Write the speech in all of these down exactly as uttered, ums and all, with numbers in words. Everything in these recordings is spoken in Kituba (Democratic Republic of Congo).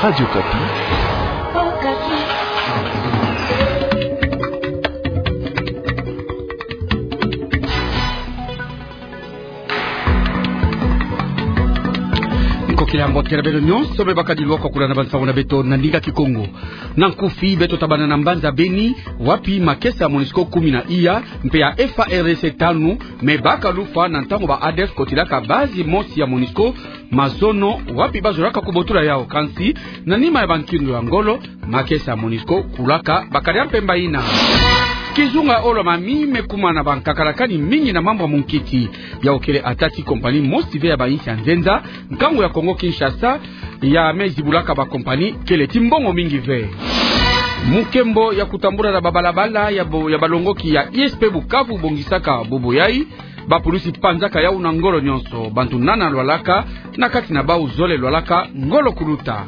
Radio Okapi. Nkokila mbote na beno nyonso me bakadi lwaka kuna na bansangu na beto na ndinga Kikongo. Na nkufi, beto tabana na mbanza Beni, wapi makesa ya MONUSCO kumi na iya, mpe ya F A R D C tanu, me baka lufwa na ntangu ba ADF kotilaka base mosi ya MONUSCO, mazono, wapi bazolaka kubotula yau. Kansi, na nima ya bankindu ya ngolo, makesa ya MONUSCO kulaka bakadi ya mpemba ina. Kizunga Olomami me kuma na bankakalakani mingi na mambu ya munkiti. Yau kele ata ti kompani mosi ve ya bainsi ya nzenza, nkangu ya Kongo Kinshasa, ya me zibulaka bakompani kele ti mbongo mingi ve. Mukembo ya kutambula na babalabala ya bo-, ya balongoki ya I S P Bukavu bongisaka bobo yai, bapulusi panzaka yau na ngolo nyonso, bantu nana lwalaka, na kati na bau zole lwalaka ngolo kuluta.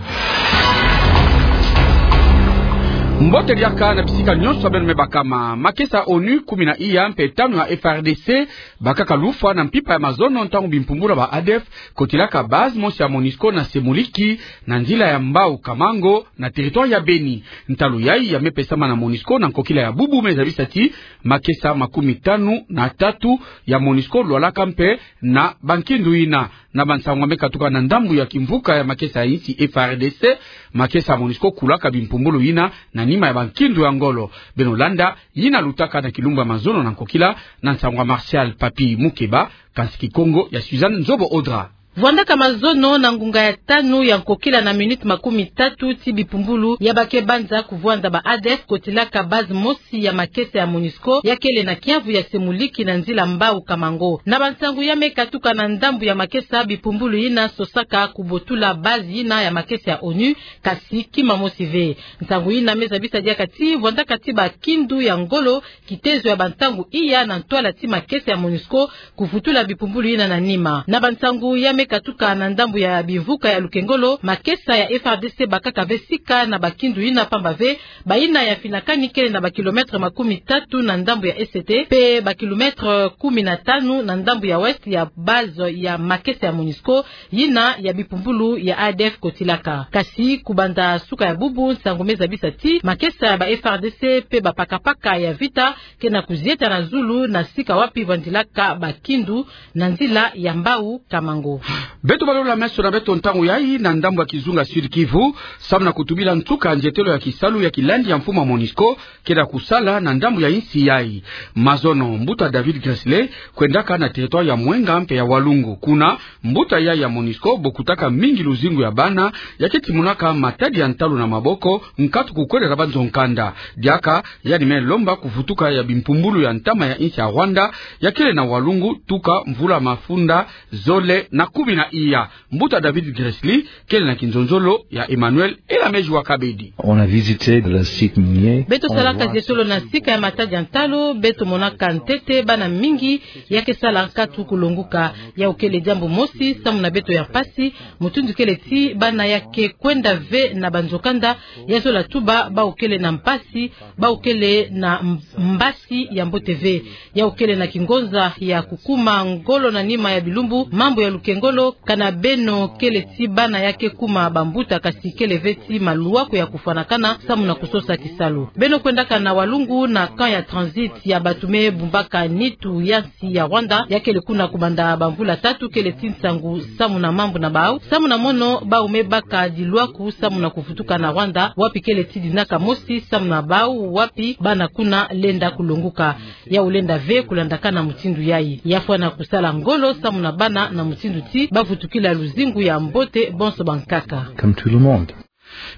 Mbote diaka na bisika nyonso beno me bakama, makesa ONU kumi na iya mpe tanu ya F A R D C, bakaka lufwa na mpimpa ya mazono ntangu bimpumbulu ya ba ADF kotilaka base mosi ya MONUSCO na Semuliki, na nzila ya Mbau Kamango, na territoire ya Beni. Ntalu yai ya me pesama na MONUSCO na nkokila ya bubu me zabisa ti makesa makumi tanu na tatu ya MONUSCO lwalaka mpe na bankindu ina. Na bansangu ya me katuka na ndambu ya kimvuka ya makesa ya insi F A R D C, makesa ya MONUSCO kulaka bimpumbulu ina na nima ya bankindu ya ngolo. Beno landa yina lutaka na kilumbu ya mazono na nkokila na nsangu ya Martial Papi Mukeba, kansi Kikongo ya Suzanne Nzobo Odra. Vwandaka mazono na ngunga ya tanu ya nkokila na minute makumi tatu ti bipumbulu ya bake banza kuvwanza ba ADF kotilaka base mosi ya makesa ya MONUSCO ya kele na kiavu ya Semuliki na nzila Mbau Kamango. Na bansangu ya me katuka na ndambu ya makesa, bipumbulu yina sosaka kubotula base yina ya makesa ya ONU, kasi kima mosi ve. Nsangu yina me zabisa diaka ti vwandaka ti bakindu ya ngolo kitezo ya bantangu iya na ntwala ti makesa ya MONUSCO kuvutula bipumbulu yina na nima. Na bansangu ya me katuka na ndambu ya bimvuka ya Lukengolo, makesa ya F A R D C bakaka ve sika na bakindu yina pamba ve, bayina ya finakani kele na ba kilomètre makumi tatu na ndambu ya Est, mpe ba kilomètre kumi na tanu na ndambu ya Ouest ya base ya makesa ya MONUSCO, yina ya bipumbulu ya ADF kotilaka. Kasi kubanda suka ya bubu, nsangu me zabisa ti makesa ya ba F A R D C mpe bapakapaka ya vita ke na kuzieta na zulu na sika wapi vwandilaka bakindu na nzila ya Mbau Kamango. Beto balola meso na beto ntangu yai na ndambu ya kizunga Sud-Kivu, samu na kutubila nsuka nzietelo ya kisalu ya kilandi ya mfumu ya MONUSCO, ke na kusala na ndambu ya insi yai. Mazono, mbuta David Gressler kwendaka na territoire ya Mwenga mpe ya Walungu. Kuna, mbuta yai ya MONUSCO bokutaka mingi luzingu ya bana, ya ke timonaka matadi ya ntalu na maboko, nkatu kukweleka banzo nkanda. Diaka, yandi me lomba kuvutuka ya bimpumbulu ya ntama ya insi ya Rwanda, ya kele na Walungu, tuka mvula mafunda zole na kumi na iya. Mbuta David Gressler kele na kinzonzolo ya Emmanuel Elameji wa Kabedi. On a visité le site minier. Beto salaka zietolo na sika ya matadi ya ntalu, beto monaka ntete bana mingi ya ke sala nkatu kulonguka. Yau kele diambu mosi samu na beto ya mpasi, mutindu kele ti bana ya ke kwenda ve na banzo kanda, ya zola tuba bau kele na mpasi, bau kele na m-, mbasi ya mbote ve. Yau kele na kingonza ya kukuma ngolo na nima ya bilumbu, mambu ya Lukengolo, kana beno kele ti bana ya ke kuma bambuta, kasi kele ve ti maluaku ya kufwanakana samu na kusosa kisalu. Beno kwendaka na Walungu na camp ya transit ya bantu me bumbaka nitu ya nsi ya Rwanda, ya kele kuna kubanda bamvula tatu, kele ti nsangu samu na mambu na bau, samu na mono bau me baka diluaku samu na kuvutuka na Rwanda, wapi kele ti dinaka mosi samu na bau, wapi bana kuna lenda kulonguka. Yau lenda ve kulandakana mutindu yai. Ya fwana kusala ngolo samu na bana na mutindu ti bavutukila luzingu ya mbote bonso bankaka. Comme tout le monde.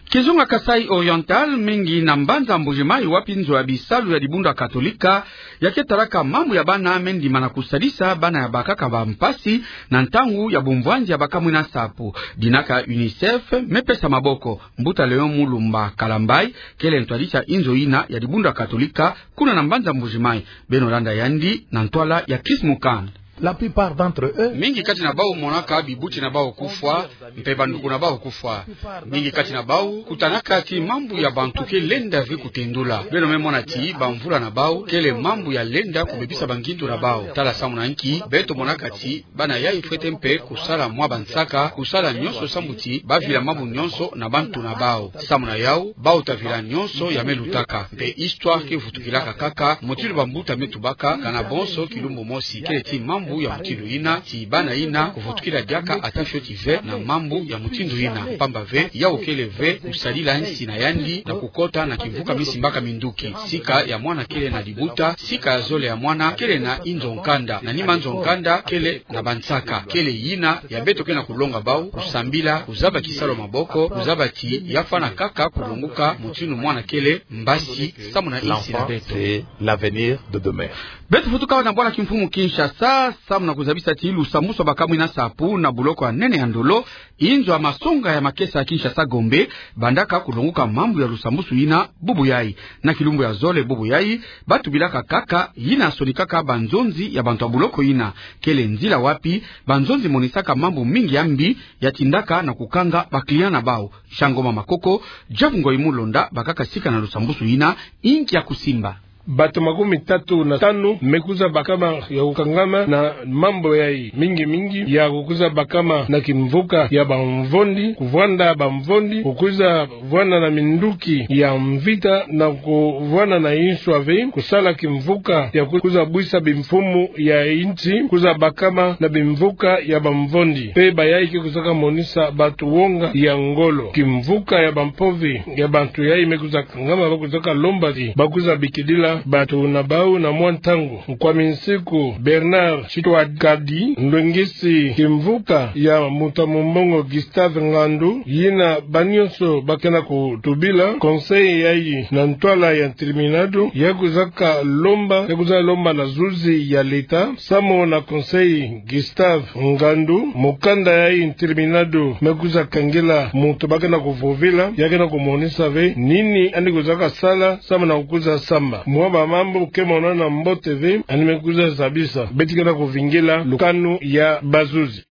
Kizunga Kasaï Oriental, mingi na mbanza Mbuji-Mayi, wapi nzo ya bisalu ya dibundu ya Katolika ya ke talaka mambu ya bana me ndima na kusalisa bana ya bakaka bampasi na ntangu ya bumvwanzi ya baka mwina nsapu. Dinaka UNICEF me pesa maboko. Mbuta Léon Mulumba Kalambayi kele ntwadisi ya inzo yina ya dibundu ya Katolika kuna na mbanza Mbuji-Mayi. Beno landa yandi na ntwala ya Chris Mukand. La plupart d'entre eux, mingi kati na bau monaka bibuti na bau kufwa, mpe banduku na bau kufwa. Mingi kati na bau kutanaka ti mambu ya bantu ke lenda ve kutendula. Beno me mona ti bamvula na bau kele mambu ya lenda kubebisa bangindu na bau. Tala samu na nki beto monaka ti bana yai fwete mpe kusala mwa bansaka, kusala nyonso sambu ti bavila mambu nyonso na bantu na bau. Samu na yau, bau ta vila nyonso ya me lutaka. Mpe histoire ke vutukilaka kaka, mutindu bambuta me tubaka, kana bonso kilumbu mosi. Kele ti mambu ya mutindu yina, ti bana yina kuvutukila diaka ata fioti ve na mambu ya mutindu yina. Pamba ve, yau kele ve kusadila nsi na yandi na kukota na kimvuka misimbaka minduki. Sika ya mwana kele na libuta, sika ya zole ya mwana kele na inzo nkanda, na nima nzo nkanda kele na bansaka. Kele yina ya beto ke na kulonga bau, kusambila, kuzaba kisalu maboko, kuzaba ti ya fwana kaka kulonguka mutindu mwana kele mbasi, samu na nsi na beto. L'enfant, c'est l'avenir de demain. Beto futuka na bwala kimfumu Kinshasa, samu na kuzabisa ti lusambusu bakamwina sapu na buloko ya nene ya Ndolo, inzo ya masonga ya makesa ya Kinshasa Gombe, bandaka kulonguka mambu ya lusambusu yina bubu yai. Na kilumbu ya zole bubu yai, batubilaka kaka yina sonikaka banzonzi ya bantu ya buloko yina. Kele nzila wapi banzonzi monisaka mambu mingi ya mbi ya tindaka na kukanga ba client na bau. Shangoma Makoko, Jeff Ngoyi Mulonda, bakaka sika na lusambusu yina, inki ya kusimba. Bato makumi tatu na tanu me kuza bakama ya kukangama na mambu yai, mingi mingi ya kukuza bakama na kimvuka ya bamvondi, kuvwanda bamvondi, kukuza vwanda na minduki ya mvita, na kuvwanda na insu ya ve, kusala kimvuka ya kukuza bwisa bimfumu ya insi, kuza bakama na bimvuka ya bamvondi. Mpe bayai ke kuzaka monisa bato wonga ya ngolo. Kimvuka ya bampovi ya bantu yai me kuza kangama, ba kuzaka lomba ti ba kuza bikidila bato na bau na mwa ntangu. Nkwami nsiku Bernard Chitwad Kadi, ndwengisi kimvuka ya Mbuta Mumbongo Gustave Ngandu, yina banyonso ba ke na kutubila, conseil yai na ntwala ya ntirminado, ya kuzaka lomba, ya kuza lomba na zuzi ya leta, samu na conseil Gustave Ngandu, mukanda yai ntirminado me kuza kangila muntu ba ke na kuvovila, ya ke na kumonisa ve nini yandi kuzaka sala, samu na kukuza samba. Mwa bamambu ke monana mbote ve, yandi me kuza zabisa. Beto ke na kuvingila lukanu ya bazuzi.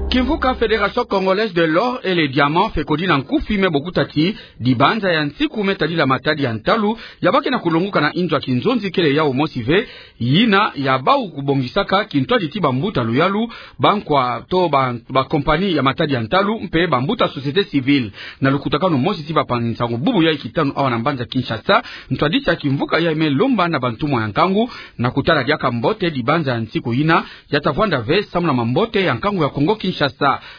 Kimvuka Fédération Congolaise de l'Or et les Diamants, FECODI na nkufi, me bokuta ti dibanza ya nsiku me tadila matadi ya ntalu ya ba ke na kulonguka na inzo ya kinzonzi kele yau mosi ve, yina ya bau kubongisaka kintwadi ti bambuta luyalu, bankwa to ba, bakompani ya matadi ya ntalu, mpe bambuta société civile. Na lukutakanu mosi ti bapangi nsangu bubu yai kitanu awa na mbanza Kinshasa, ntwadisi ya kimvuka yai me lomba na bantumwa ya nkangu na kutala diaka mbote dibanza ya nsiku yina ya ta vwanda ve samu na mambote ya nkangu ya Kongo Kinshasa.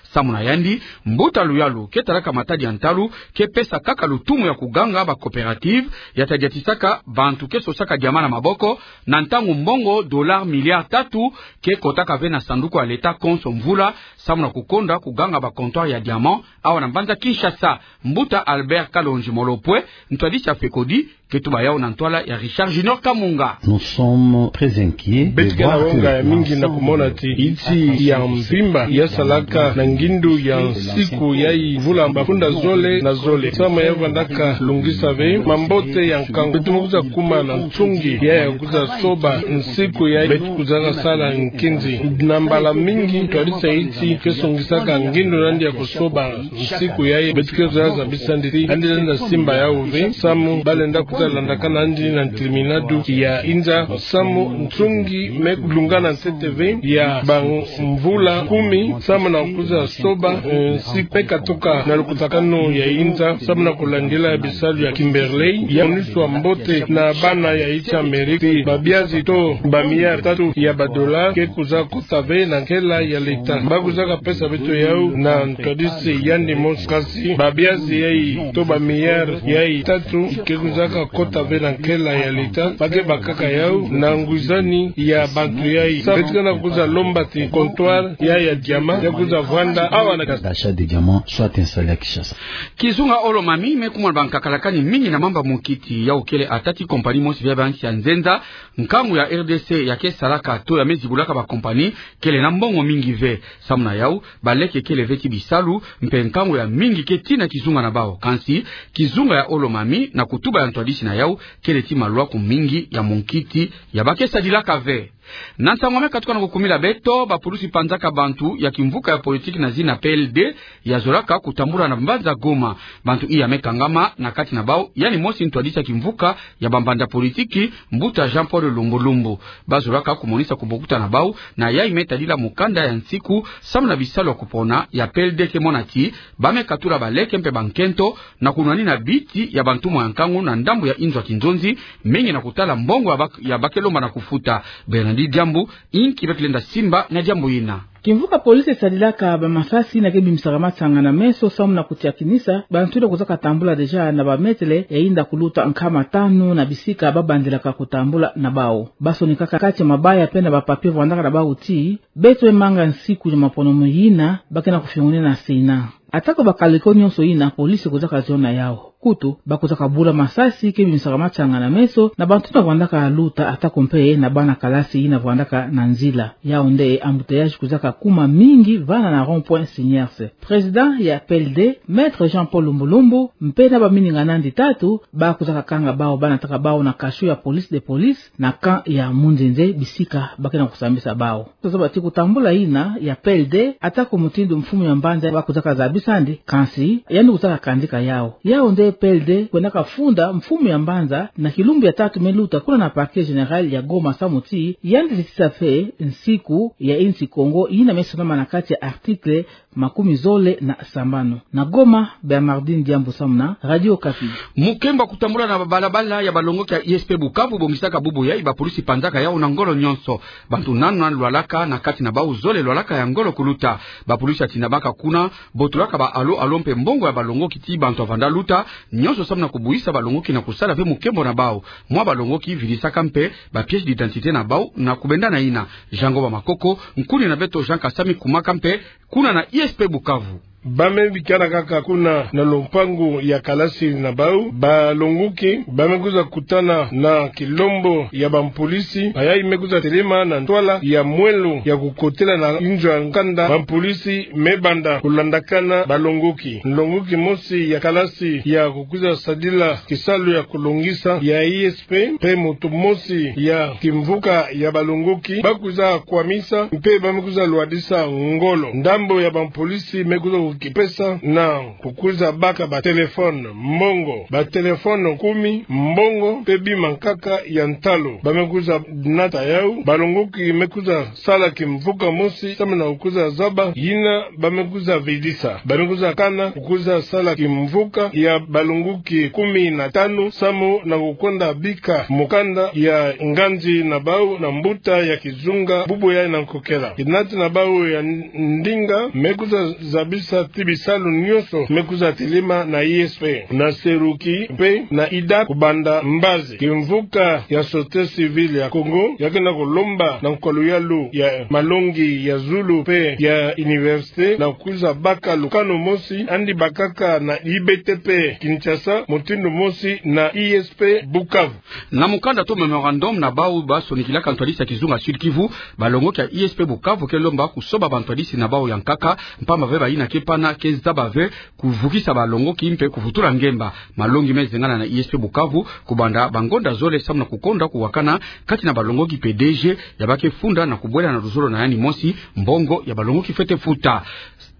Samu na yandi, mbuta luyalu ke talaka matadi ya ntalu ke pesa kaka lutumu ya kuganga ba coopérative ya ta diatisaka bantu ke sosaka diamant na maboko, na ntangu mbongo dollar milliard tatu ke kotaka ve na sanduku ya leta konso mvula, samu na kukonda kuganga ba comptoir ya diamant awa na mbanza Kinshasa. Mbuta Albert Kalonji Molopwe, ntwadisi ya FECODI, ke tuba yau na ntwala ya Richard Junior Kamunga. Nous sommes très inquiets de voir que... Beto ke na wonga ya mingi na kumona ti insi ya mvimba ya salaka na ngindu ya nsiku yai mvula mafunda zole na zole, samu ya vandaka lungisa ve mambote ya nkangu. Beto me kuza kuma na nsungi ya, ya kuza soba nsiku yai. Beto kuzaka sala nkinzi. Na mbala mingi, ntwadisi ya insi ke songisaka ngindu na yandi ya kusoba nsiku yai. Beto ke kuza zabisa yandi ti yandi lenda simba yau ve, samu ba lenda kuza landakana yandi na ntirminado ya inza, samu nsungi me kulungana ntete ve ya bamvula kumi, samu na kuza soba, eh, nsiku me katuka na lukutakanu ya inza, samu na kulandila bisalu ya Kimberley, ya moniswa mbote na bana ya insi Amérique. Babiazi to ba milliard tatu ya ba dollar ke kuza kota ve na nkela ya leta. Ba kuzaka pesa beto yau na ntwadisi yandi mosi. Kasi babiazi yai to ba milliard yai tatu ke kuzaka kota ve na nkela ya leta, ba ke bakaka yau na ngwizani ya bantu yai. Sa beto ke na kuza lomba ti comptoir yai ya diamant ya kuza vwanda awa na Kinshasa. D'achat de diamants soit installé à Kinshasa. Kizunga Olo-Mami me kumona bankakalakani mingi na mamba mukiti. Yau kele ata ti compagnie mosi via ba nsi ya nzenza, nkangu ya R D C ya ke salaka to ya me zibulaka ba compagnie, kele na mbongo mingi ve. Samu na yau, baleke kele ve ti bisalu, mpe nkangu ya mingi ke tina kizunga na bau. Kansi, kizunga ya Olo-Mami, na kutuba ya ntwadi na yau, kele ti malwaku mingi ya munkiti ya ba ke sadilaka ve. Na ntangu me katuka na kukumila beto, bapulusi panzaka bantu ya kimvuka ya politiki na zina P L D, ya zolaka kutambula na mbanza Goma. Bantu iya me kangama na kati na bau, yandi mosi ntwadisi ya kimvuka ya bambanza politiki, mbuta Jean-Paul Lumbu Lumbu. Ba zolaka kumonisa kubokuta na bau na yayi me tadila mukanda ya nsiku samu na bisalu ya kupona ya P L D, ke mona ti ba me katula baleke mpe bankento na kunwanina biti ya bantumwa ya nkangu na ndambu ya inzo ya kinzonzi, mingi na kutala mbongo ya ba ke, ya ba ke lomba na kufuta. Bernard Diambu, inki ba ke lenda simba na diambu yina. Kimvuka polisi esadilaka bamasasi yina ke bimisaka matsanga na meso samu na kutiakinisa bantu yina kuzaka tambula déjà na bametele ya yinda kuluta nkama tanu na bisika ba bandilaka kutambula na bau. Ba sonikaka kati ya mabaya mpe na bapapier vwandaka na bau ti beto me manga nsiku ya maponomo yina ba ke na kufiongonina na Sénat. Atako bakaliko nyonso yina, polisi ekuzaka zona yau. Kutu, ba kuzaka bula masasi ke bimisaka matsanga na meso na bantu yina vwandaka luta, atako mpe na bana kalasi yina vwandaka na nzila. Yau nde embouteillage kuzaka kuma mingi vana na rond-point Seniors. Président ya P L D, Maître Jean-Paul Lumbu Lumbu, mpe na bamininga na yandi tatu, ba kuzaka kanga bau, ba nataka bau na cachot ya police de police, na camp ya Munzenze, bisika ba ke na kusambisa bau. Tozaba ti kutambula yina ya P L D, atako mutindu mfumu ya mbanza ba kuzaka zabisa yandi, kansi yandi kuzaka kandika yau. Yau nde P L D kwendaka funda mfumu ya mbanza na kilumbu ya tatu me luta kuna na Parquet Général ya Goma samu ti yandi titisa mpe nsiku ya insi Kongo yina me sonama na kati ya article makumi zole na sambanu. Na Goma, Bernardine Diambu samu na Radio Okapi. Mukembo ya kutambula na babalabala ya balongoki ya I S P Bukavu bongisaka bubu yayi, bapulusi panzaka yau na ngolo nyonso. Bantu nanu nanu lwalaka, na kati na bau zole lwalaka ya ngolo kuluta. Bapulusi ya tinda baka kuna botulaka ba allô allô mpe mbongo ya balongoki ti bantu ya vanda luta nyonso samu na kubuisa balongoki na kusala ve mukembo na bau. Mwa balongoki vidisaka mpe ba pièces d'identité na bau na kubenda na yina. Jean Ngoba Makoko, nkuni na beto Jean Kasami, kumaka mpe kuna na I S P Bukavu. Ba me bikana kaka kuna na lompangu ya kalasi na bau, balongoki ba me kwiza kutana na kilombo ya bampolisi, bayayi me kwiza telema na ntwala ya mwelo ya kukotela na inzo ya nkanda. Bampolisi me banda kulandakana balongoki. Nlongoki mosi ya kalasi ya kukwiza sadila kisalu ya kulongisa ya I S P, mpe moto mosi ya kimvuka ya balongoki, ba kwiza kwamisa mpe ba me kwiza lwadisa ngolo. Ndambo ya bampolisi me kwiza kukipesa na kukwiza baka batelefone, mbongo, batelefone kumi, mbongo, mpe bima nkaka ya ntalu. Ba me kwiza nata yau, balongoki me kwiza sala kimvuka mosi samu na kukwiza zaba yina ba me kwiza vidisa. Ba me kwiza kana kukwiza sala kimvuka ya balongoki kumi na tanu samu na kukonda bika mukanda ya nganzi na bau na mbuta ya kizunga bubu yayi na nkokela. Kinati na bau ya ndinga me kwiza zabisa ti bisalu nyonso me kwiza telema na I S P, na Seruki mpe na Ida kubanda mbazi. Kimvuka ya Société Civile ya Congo ya ke na kulomba na nkwalu yalu ya malongi ya zulu mpe ya université na kwiza baka lukanu mosi yandi bakaka na I B T P Kinshasa mutindu mosi na I S P Bukavu. Na mukanda to mémorandum na bau ba sonikilaka ntwadisi ya kizunga Sud-Kivu, balongoki ya I S P Bukavu ke lomba kusoba bantwadisi na bau ya nkaka, mpamba ve bayina ke pana ke zaba ve kuvukisa balongoki mpe kuvutula ngemba. Malongi me zengana na I S P Bukavu kubanda bangonda zole samu na kukonda kuwakana kati na balongoki mpe D G ya ba ke funda na kubwela na luzolo na yandi mosi mbongo ya balongoki fwete futa.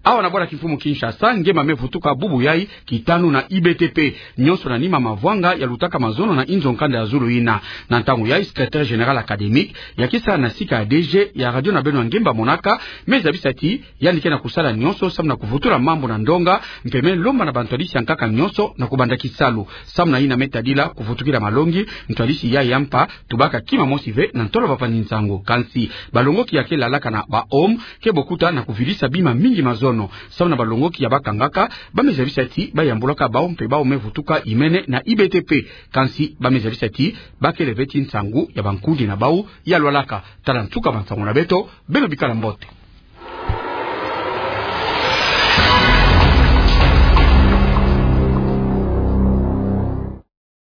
Awa na bwala kimfumu Kinshasa, ngemba me vutuka bubu yayi kitanu na I B T P, nyonso na nima mavwanga ya lutaka mazono na inzo nkanda ya zulu yina. Na ntangu yayi, secrétaire général académique ya ke sala na sika ya D G ya radio na beno ya ngemba monaka me zabisa ti yandi ke na kusala nyonso samu na kuvutula mambu na ndonga, mpe me lomba na bantwadisi ya nkaka nyonso na kubanda kisalu. Samu na yina me tadila kuvutukila malongi, ntwadisi yayi ya mpa tubaka kima mosi ve na ntolo bavani nsangu. Kansi balongoki ya ke lalaka na ba home ke bokuta na kuvidisa bima mingi mazono. Samu na balongoki ya ba kangaka, ba me zabisa ti ba yambulaka bau mpe bau me vutuka imene na I B T P. Kansi ba me zabisa ti ba kele ve ti nsangu ya bankundi na bau ya lwalaka. Tala nsuka bansangu na beto, beno bikala mbote.